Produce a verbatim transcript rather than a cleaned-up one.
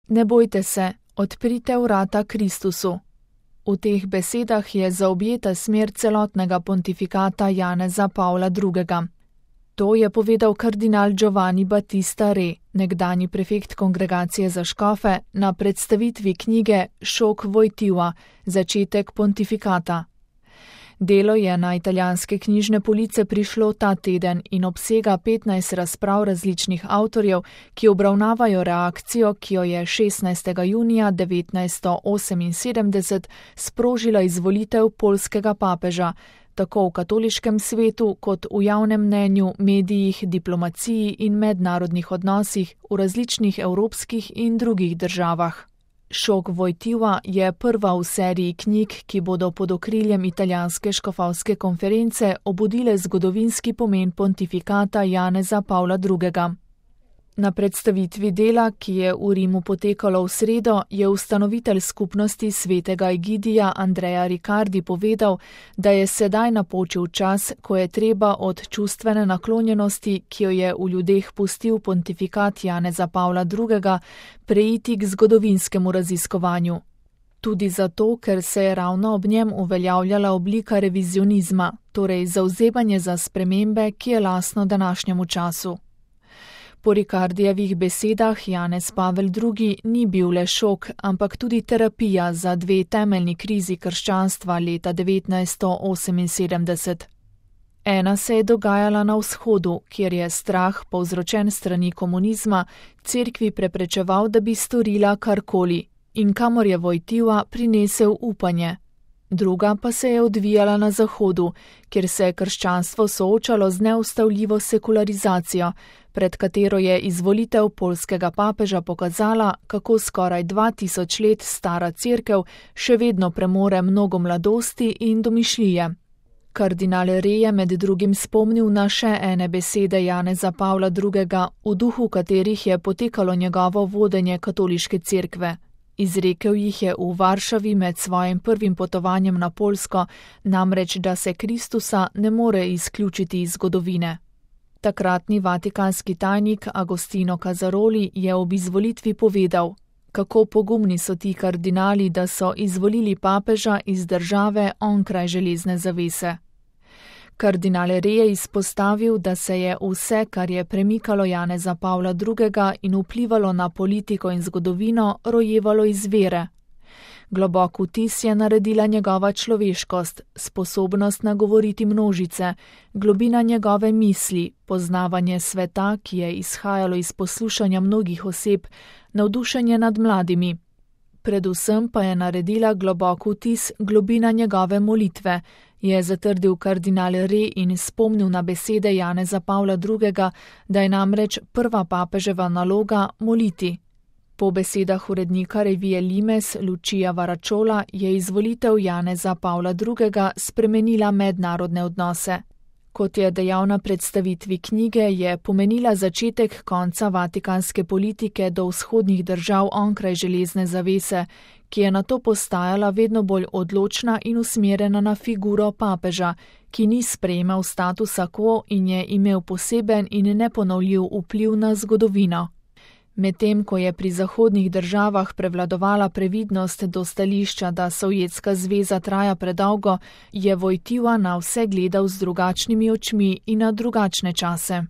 Ne bojte se, odprite vrata Kristusu. V teh besedah je zaobjeta smer celotnega pontifikata Janeza Pavla drugega. To je povedal kardinal Giovanni Battista Re, nekdanji prefekt kongregacije za škofe, na predstavitvi knjige Šok Wojtyła, začetek pontifikata. Delo je na italijanske knjižne police prišlo ta teden in obsega petnajst razprav različnih avtorjev, ki obravnavajo reakcijo, ki jo je šestnajstega junija devetnajststo oseminsedemdeset sprožila izvolitev poljskega papeža, tako v katoliškem svetu kot v javnem mnenju, medijih, diplomaciji in mednarodnih odnosih v različnih evropskih in drugih državah. Šok Wojtyła je prva v seriji knjig, ki bodo pod okriljem italijanske škofovske konference obudile zgodovinski pomen pontifikata Janeza Pavla drugega. Na predstavitvi dela, ki je v Rimu potekalo v sredo, je ustanovitelj skupnosti svetega Egidija Andrea Riccardi povedal, da je sedaj napočil čas, ko je treba od čustvene naklonjenosti, ki jo je v ljudeh pustil pontifikat Janeza Pavla drugega, preiti k zgodovinskemu raziskovanju. Tudi zato, ker se je ravno ob njem uveljavljala oblika revizionizma, torej zavzemanje za spremembe, ki je lastno današnjemu času. Po Ricardijevih besedah Janez Pavel drugi ni bil le šok, ampak tudi terapija za dve temeljni krizi krščanstva leta devetnajststo oseminsedemdeset. Ena se je dogajala na vzhodu, kjer je strah, povzročen strani komunizma, cerkvi preprečeval, da bi storila karkoli, in kamor je Wojtyła prinesel upanje. Druga pa se je odvijala na zahodu, kjer se je krščanstvo soočalo z neustavljivo sekularizacijo, pred katero je izvolitev poljskega papeža pokazala, kako skoraj dva tisoč let stara cerkev še vedno premore mnogo mladosti in domišljije. Kardinal Re je med drugim spomnil na še ene besede Janeza Pavla drugega, v duhu katerih je potekalo njegovo vodenje katoliške cerkve. Izrekel jih je v Varšavi med svojim prvim potovanjem na Poljsko, namreč da se Kristusa ne more izključiti iz zgodovine. Takratni vatikanski tajnik Agostino Casaroli je ob izvolitvi povedal, kako pogumni so ti kardinali, da so izvolili papeža iz države onkraj železne zavese. Kardinal Re je izpostavil, da se je vse, kar je premikalo Janeza Pavla drugega in vplivalo na politiko in zgodovino, rojevalo iz vere. Globok vtis je naredila njegova človeškost, sposobnost nagovoriti množice, globina njegove misli, poznavanje sveta, ki je izhajalo iz poslušanja mnogih oseb, navdušenje nad mladimi. Predvsem pa je naredila globok vtis globina njegove molitve, je zatrdil kardinal Re in spomnil na besede Janeza Pavla drugega, da je namreč prva papeževa naloga moliti. Po besedah urednika revije Limes Lucia Varačola je izvolitev Janeza Pavla drugega spremenila mednarodne odnose. Kot je dejal na predstavitvi knjige, je pomenila začetek konca vatikanske politike do vzhodnih držav onkraj železne zavese, ki je nato postajala vedno bolj odločna in usmerjena na figuro papeža, ki ni sprejemal statusa quo in je imel poseben in neponovljiv vpliv na zgodovino. Medtem ko je pri zahodnih državah prevladovala previdnost do stališča, da Sovjetska zveza traja predolgo, je Wojtyła na vse gledal z drugačnimi očmi in na drugačne čase.